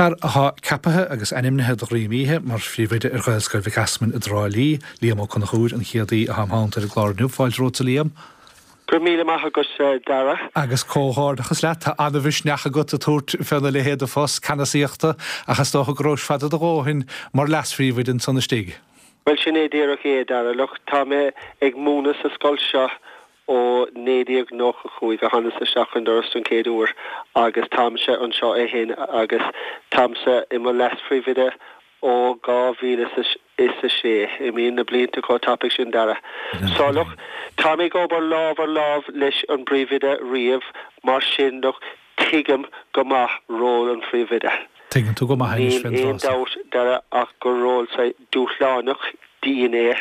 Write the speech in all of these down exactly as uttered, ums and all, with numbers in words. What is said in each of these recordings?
Fear atá ceaptha agus ainmnithe de dhroim oíche mar phríomhoide ar Ghaelscoil Mhic Easmainn i dTrá Lí, Liam Ó Conchúir, an chéad aoi atá im theannta ar an gclár inniu. Fáilte romhat, a Liam. Go raibh míle maith agat, Dara. Agus comhghairdeachas leat, tá an-mhisneach agat ag tabhairt féna leithéid de phost ceannasaíochta ach is dócha go rabhais fada do dhóthain mar leas-phríomhoide ansan istigh. Bhuel, sin é díreach é, Dara. Look, tá mé ag múineadh sa scoil seo ó naoi déag nócha cúig a thánas isteach an doras don chéad uair agus táimse anseo ó shin agus táimse i mo leas-phríomhoide ó dhá mhíle is a sé. Imíonn na blianta chomh tapaidh sin, Dara. So, look, táim ag obair lámh ar lámh leis an bpríomhoide riamh, mar sin, look, tuigim go maith ról an phríomhoide. Tuigeann tú go maith anois fén Níl aon dabht, Dara, ach gur ról saghas dúshlánach, dian é,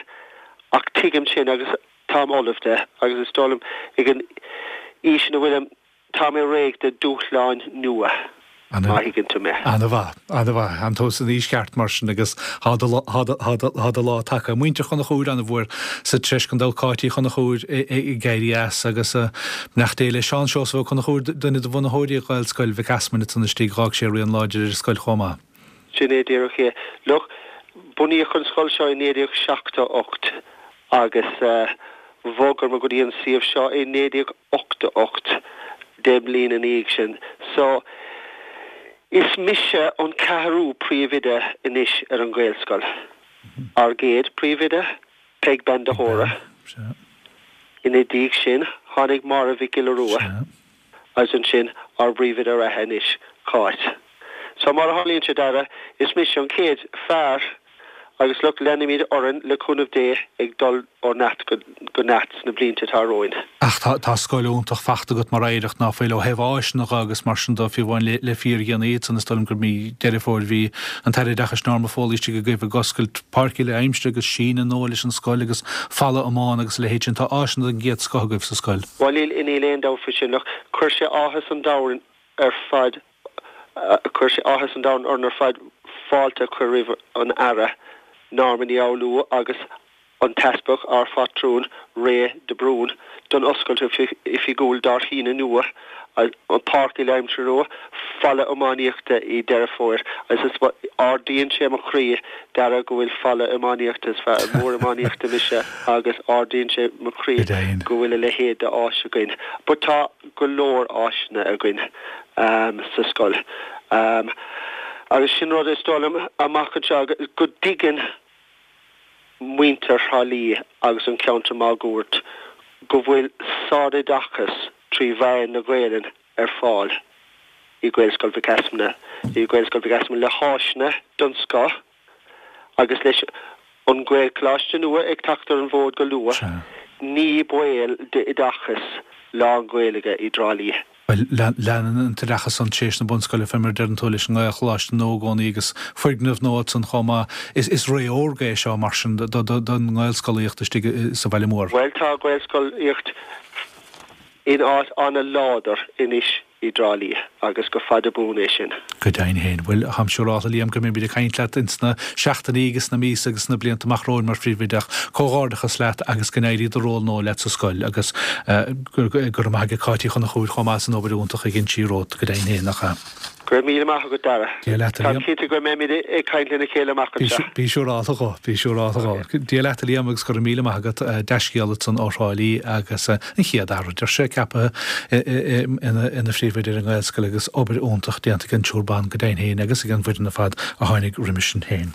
ach tuigim sin agus táim ullamh de agus is dóigh liom ag an aois ina bhfuilim, tá mé réidh do dúshláin nua, má thuigeann tú mé. Ana-mhaith, ana-mhaith. Tánn tú san aois cheart mar sin agus tá do, tá do, tá do, tá do lá tagtha. Muintir Chonchúir ana-mhór sa treis gan dabht Cáit Uí Chonchúir ag éirí as agus beannacht Dé le Seán Seosamh Ó Conchúir, duine de bhunaitheoirí Ghaelscoil Mhic Easmainn ansan istigh, dh'fhág sé rian láidir ar an scoil chomh maith. Sin é díreach é. Look, bunaíodh an scoil seo i naoi déag seachtó ocht agus bhogamar go dtí an suíomh seo i naoi déag ochtó ocht, deich mbliana ina dhiaidh sin. So, is mise an ceathrú príomhoide anois ar an Ghaelscoil. Ár gcéad príomhoide, Peig Bean de hÓra. Ina dhiaidh sin, tháinig Máire Mhic Giolla Rua. Agus ansin, ár bpríomhoide reatha anois, Cáit. So, mar a tharlaíonn sé, Dara, is mise an chéad fear agus look, leanfaimid orainn, le cúnamh Dé, ag dul ó neart go neart sna blianta atá romhainn. Ach tá tá scoil iontach fachta agat mar oidhreacht, ná fuil, ó thaobh áiseanna dhe agus mar sin de, fiú amháin le le fíordhéanaí ansan, is dóigh liom gur mí Deireadh Fómhair bhí an tAire Oideachais Norma Foley istigh agaibh ag oscailt páirc uile aimsire agus síneadh nua leis an scoil agus falla iomána agus a leithéid sin. Tá áiseanna den gcéad scoth agaibh sa scoil. Bhuel níl níl aon dabht faoi sin. Look, chuir sé áthas an domhain ar fad Chuir sé áthas an domhain orainn ar fad fáilte a chur roimh an Aire, Norma Ní Fhoghlú agus an tEaspag, ár phátrún, Ray de Brún, don oscailt oifigiúil dár shíneadh nua, an Páirc Uile-Aimsire nua, falla iománaíochta i Deireadh Fómhair. Agus is ardaíonn sé mo chroí, Dara, go bhfuil falla iománaíochta, is fear mór iománaíochta mise agus ardaíonn sé mo chroí go bhfuil a leithéid d'áis againn. But tá go leor áiseanna againn. sa scoil. Agus sin rud is dóigh liom amach anseo go dtuigeann muintir Thrá Lí agus an ceantar máguaird go bhfuil sároideachas trí mheán na Gaelainne ar fáil i Gaelscoil Mhic Easmainn, i Gaelscoil Mhic Easmainn le háiseanna den scoth. Agus leis an Ghaelcholáiste nua ag teacht ar an bhfód go luath, ní baol d'oideachas lán-Ghaeilge i dTrá Lí. Bhuel, leanann an t-oideachas ann tar éis na bunscoile, fé mar a deireann tú, leis an nGaelcholáiste nua i gcónaí agus foirgneamh nua ansan chomh maith. Is ré órga é seo, mar sin, don nGaelscolaíocht istigh sa bhaile mór. Bhuel, tá Gaelscolaíocht in áit an-láidir anois i dTrá Lí agus go fada buan é sin. Go deimhin féin. Bhuel, táim siúrálta, Liam, go mbeimid ag caint leat ins na seachtainí agus sna míosa agus sna blianta amach romhainn mar phríomhoide ach comhghairdeachas leat agus go n-éirí do ról nua leat sa scoil agus go raibh maith ag Cáit Uí Chonchúir chomh maith as an obair iontach a dhein sí romhat, go deimhin féin, nach ea? Go raibh míle maith agat, Dara. Dia leat, a Táim Liam. cinnte go mbeimid ag caint lena chéile amach anseo. Bí siúrálta dhó, bí siúrálta dhó. Dia leat, a Liam, agus go raibh míle maith agat. Dea-scéala ansan ó Thrá Lí agus an chéad fhear, a deir sé, ceaptha ina phríomhoide ar an nGaelscoil agus obair iontach déanta ag an triúr ban go deimhin féin agus ag an bhfoireann ar fad a tháinig roimis sin féin.